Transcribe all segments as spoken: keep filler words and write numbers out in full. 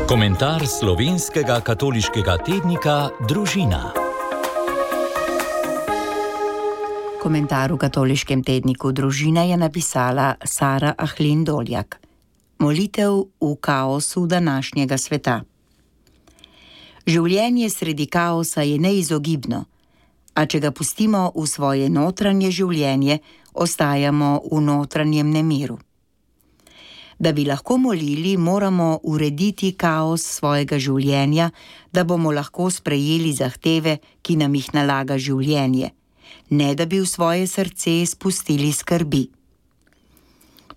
Komentar slovenskega katoliškega tednika Družina. Komentar v katoliškem tedniku Družina je napisala Sara Ahlin Doljak. Molitev v kaosu današnjega sveta. Življenje sredi kaosa je neizogibno, a če ga pustimo v svoje notranje življenje, ostajamo v notranjem nemiru. Da bi lahko molili, moramo urediti kaos svojega življenja, da bomo lahko sprejeli zahteve, ki nam jih nalaga življenje, ne da bi v svoje srce spustili skrbi.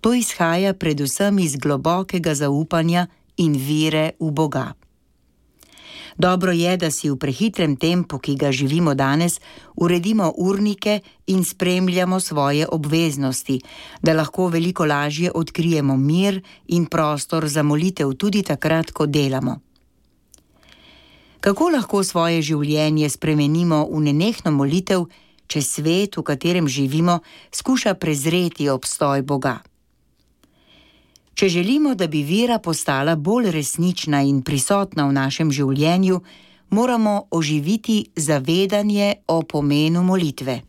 To izhaja predvsem iz globokega zaupanja in vere v Boga. Dobro je, da si v prehitrem tempu, ki ga živimo danes, uredimo urnike in spremljamo svoje obveznosti, da lahko veliko lažje odkrijemo mir in prostor za molitev tudi takrat, ko delamo. Kako lahko svoje življenje spremenimo v nenehno molitev, če svet, v katerem živimo, skuša prezreti obstoj Boga? Če želimo, da bi vera postala bolj resnična in prisotna v našem življenju, moramo oživiti zavedanje o pomenu molitve.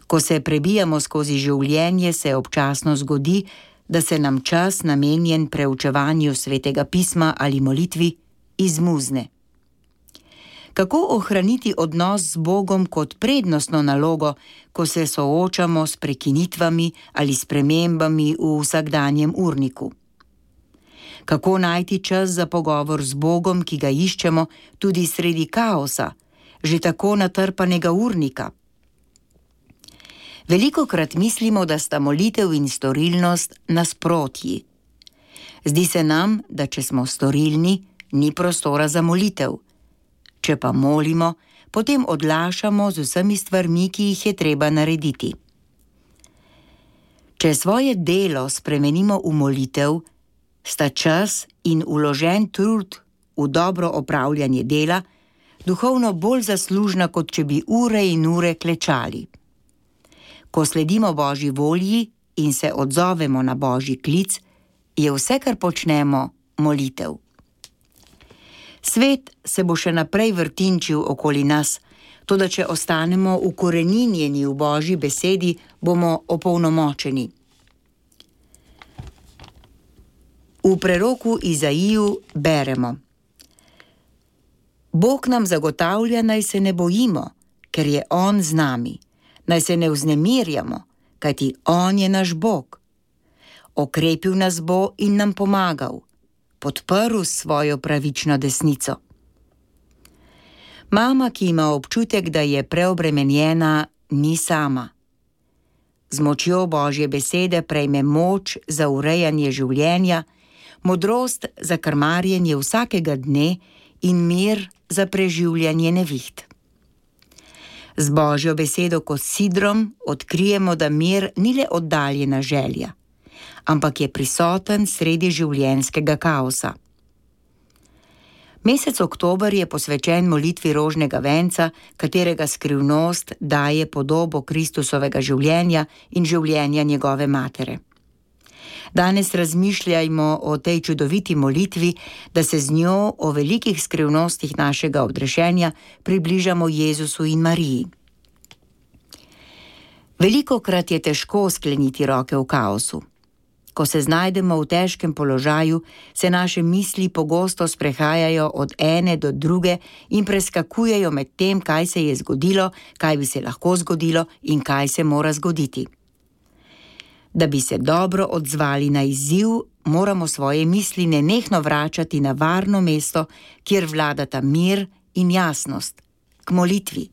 Ko se prebijamo skozi življenje, se občasno zgodi, da se nam čas, namenjen preučevanju Svetega pisma ali molitvi, izmuzne. Kako ohraniti odnos z Bogom kot prednostno nalogo, ko se soočamo s prekinitvami ali spremembami v vsakdanjem urniku? Kako najti čas za pogovor z Bogom, ki ga iščemo tudi sredi kaosa, že tako natrpanega urnika? Velikokrat mislimo, da sta molitev in storilnost nasprotji. Zdi se nam, da če smo storilni, ni prostora za molitev. Če pa molimo, potem odlašamo z vsemi stvarmi, ki jih je treba narediti. Če svoje delo spremenimo v molitev, sta čas in vložen trud v dobro opravljanje dela duhovno bolj zaslužna, kot če bi ure in ure klečali. Ko sledimo Božji volji in se odzovemo na Božji klic, je vse, kar počnemo, molitev. Svet se bo še naprej vrtinčil okoli nas, toda če ostanemo ukoreninjeni v Božji besedi, bomo opolnomočeni. V preroku Izaiju beremo: Bog nam zagotavlja, naj se ne bojimo, ker je On z nami. Naj se ne vznemirjamo, kajti On je naš Bog. Okrepil nas bo in nam pomagal. Podprl svojo pravično desnico. Mama, ki ima občutek, da je preobremenjena, ni sama. Z močjo Božje besede prejme moč za urejanje življenja, modrost za krmarjenje vsakega dne in mir za preživljanje neviht. Z Božjo besedo kot sidrom odkrijemo, da mir ni le oddaljena želja, ampak je prisoten sredi življenjskega kaosa. Mesec oktober je posvečen molitvi rožnega venca, katerega skrivnost daje podobo Kristusovega življenja in življenja njegove matere. Danes razmišljajmo o tej čudoviti molitvi, da se z njo o velikih skrivnostih našega odrešenja približamo Jezusu in Mariji. Velikokrat je težko skleniti roke v kaosu. Ko se znajdemo v težkem položaju, se naše misli pogosto sprehajajo od ene do druge in preskakujejo med tem, kaj se je zgodilo, kaj bi se lahko zgodilo in kaj se mora zgoditi. Da bi se dobro odzvali na izziv, moramo svoje misli nenehno vračati na varno mesto, kjer vladata mir in jasnost, k molitvi.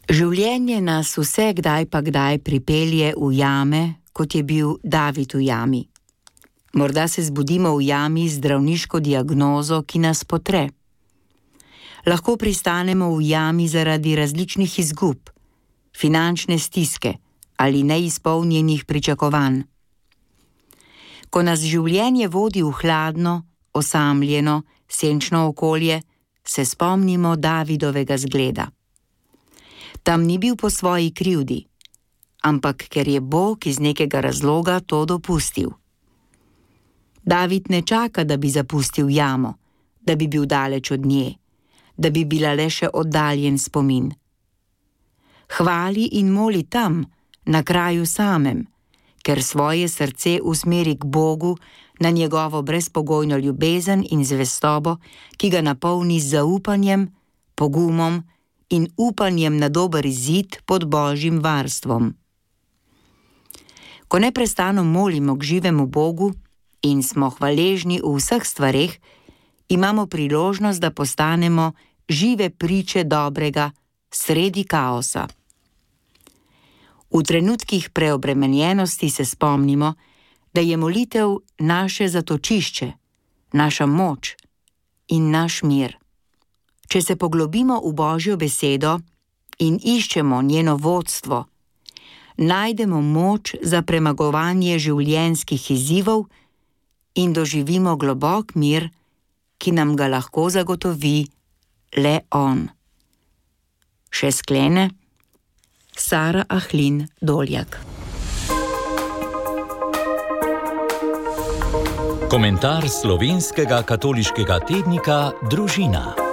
Življenje nas vse kdaj pa kdaj pripelje v jame, kot je bil David v jami. Morda se zbudimo v jami z zdravniško diagnozo, ki nas potre. Lahko pristanemo v jami zaradi različnih izgub, finančne stiske ali neizpolnjenih pričakovanj. Ko nas življenje vodi v hladno, osamljeno, senčno okolje, se spomnimo Davidovega zgleda. Tam ni bil po svoji krivdi, ampak ker je Bog iz nekega razloga to dopustil. David ne čaka, da bi zapustil jamo, da bi bil daleč od nje, da bi bila le še oddaljen spomin. Hvali in moli tam, na kraju samem, ker svoje srce usmeri k Bogu, na njegovo brezpogojno ljubezen in zvestobo, ki ga napolni z zaupanjem, pogumom in upanjem na dober izid pod Božjim varstvom. Ko neprestano molimo k živemu Bogu in smo hvaležni v vseh stvareh, imamo priložnost, da postanemo žive priče dobrega sredi kaosa. V trenutkih preobremenjenosti se spomnimo, da je molitev naše zatočišče, naša moč in naš mir. Če se poglobimo v Božjo besedo in iščemo njeno vodstvo, najdemo moč za premagovanje življenjskih izzivov in doživimo globok mir, ki nam ga lahko zagotovi le On. Še sklene Sara Ahlin Doljak. Komentar slovenskega katoliškega tednika Družina.